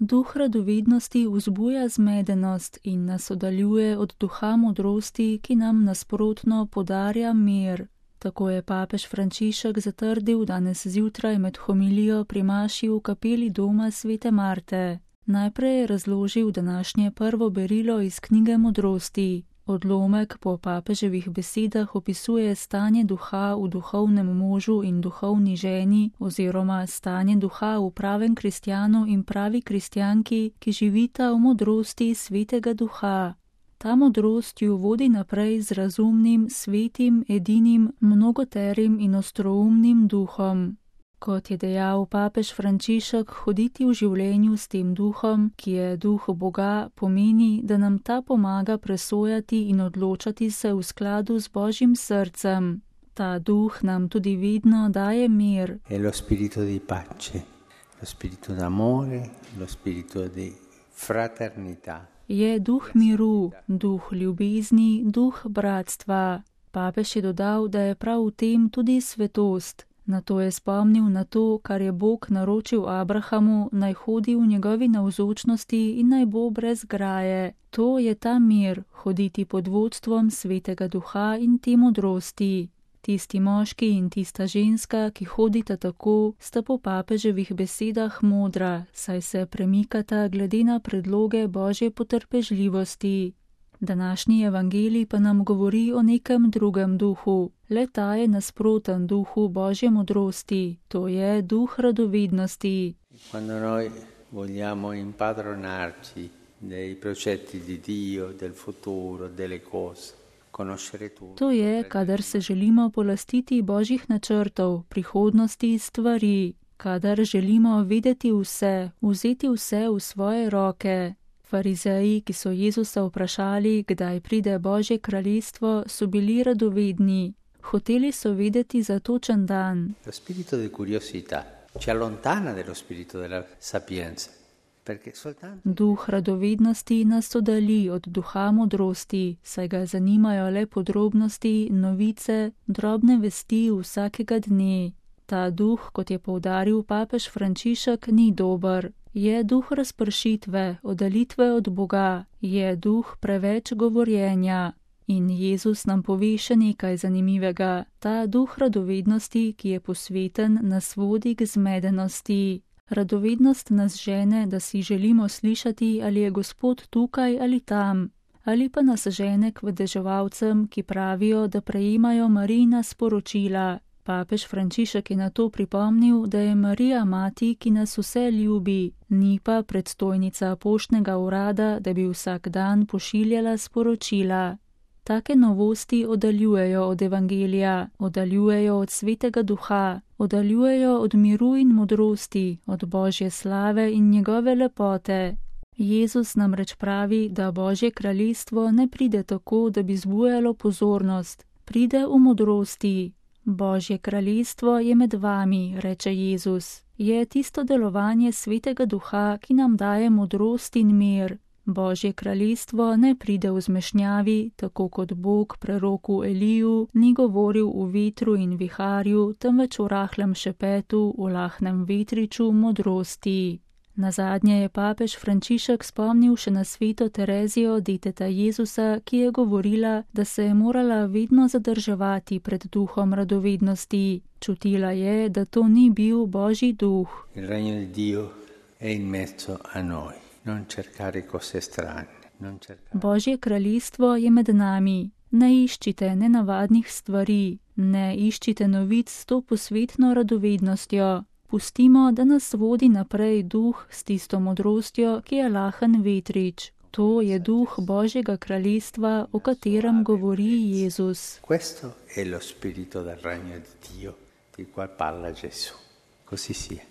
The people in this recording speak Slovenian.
Duh radovednosti vzbuja zmedenost in nas oddaljuje od duha modrosti, ki nam nasprotno podarja mir. Tako je papež Frančišek zatrdil danes zjutraj med homilijo pri maši v kapeli doma svete Marte. Najprej je razložil današnje prvo berilo iz knjige modrosti. Odlomek po papeževih besedah opisuje stanje duha v duhovnem možu in duhovni ženi oziroma stanje duha v pravem kristjanu in pravi kristjanki, ki živita v modrosti svetega duha. Ta modrost ju vodi naprej z razumnim, svetim, edinim, mnogoterim in ostroumnim duhom. Kot je dejal papež Frančišek, hoditi v življenju s tem duhom, ki je duh Boga, pomeni, da nam ta pomaga presojati in odločati se v skladu z Božjim srcem. Ta duh nam tudi vedno daje mir. È lo spirito di pace, lo spirito d'amore, lo spirito di fraternità. Je duh miru, duh ljubezni, duh bratstva. Papež je dodal, da je prav v tem tudi svetost. Nato je spomnil na to, kar je Bog naročil Abrahamu, naj hodi v njegovi navzočnosti in naj bo brez graje. To je ta mir, hoditi pod vodstvom svetega duha in te modrosti. Tisti moški in tista ženska, ki hodita tako, sta po papeževih besedah modra, saj se premikata glede na predloge Božje potrpežljivosti. Današnji evangelij pa nam govori o nekem drugem duhu. Le ta je nasproten duhu Božje modrosti, to je duh radovednosti. Quando noi vogliamo impadronarci dei progetti di Dio, del futuro, delle cose, conoscere tutto. To je, kadar se želimo polastiti Božjih načrtov, prihodnosti, stvari, kadar želimo vedeti vse, vzeti vse v svoje roke. Farizeji, ki so Jezusa vprašali, kdaj pride Božje kraljestvo, so bili radovedni. Hoteli so vedeti za točen dan. Lo spirito di curiosità ci allontana dello spirito della sapienza. Duh radovednosti nas oddalji od duha modrosti, saj ga zanimajo le podrobnosti, novice, drobne vesti vsakega dne. Ta duh, kot je poudaril papež Frančišek, ni dober. Je duh razpršitve, oddaljitve od Boga, je duh preveč govorjenja. In Jezus nam pove še nekaj zanimivega. Ta duh radovednosti, ki je posveten, nas vodi k zmedenosti. Radovednost nas žene, da si želimo slišati, ali je Gospod tukaj ali tam. Ali pa nas žene k vedeževalcem, ki pravijo, da prejemajo Marijina sporočila. Papež Frančišek je na to pripomnil, da je Marija mati, ki nas vse ljubi, ni pa predstojnica poštnega urada, da bi vsak dan pošiljala sporočila. Take novosti oddaljujejo od evangelija, oddaljujejo od svetega duha, oddaljujejo od miru in modrosti, od Božje slave in njegove lepote. Jezus namreč pravi, da Božje kraljestvo ne pride tako, da bi zbujalo pozornost, pride v modrosti. Božje kraljestvo je med vami, reče Jezus. Je tisto delovanje svetega duha, ki nam daje modrost in mir. Božje kraljestvo ne pride v zmešnjavi, tako kot Bog preroku Eliju ni govoril v vetru in viharju, temveč v rahlem šepetu, v lahnem vetriču modrosti. Nazadnje je papež Frančišek spomnil še na sveto Terezijo, deteta Jezusa, ki je govorila, da se je morala vedno zadrževati pred duhom radovednosti. Čutila je, da to ni bil Božji duh. Il regno di Dio è in mezzo a noi. Non cercare cose strane. Božje kraljestvo je med nami. Ne iščite nenavadnih stvari, ne iščite novic s to posvetno radovednostjo. Pustimo, da nas vodi naprej duh s tisto modrostjo, ki je lahen vetrič. To je duh Božjega kraljestva, o katerem govori Jezus. Questo è lo spirito del regno di Dio, di cui parla Gesù. Così sia.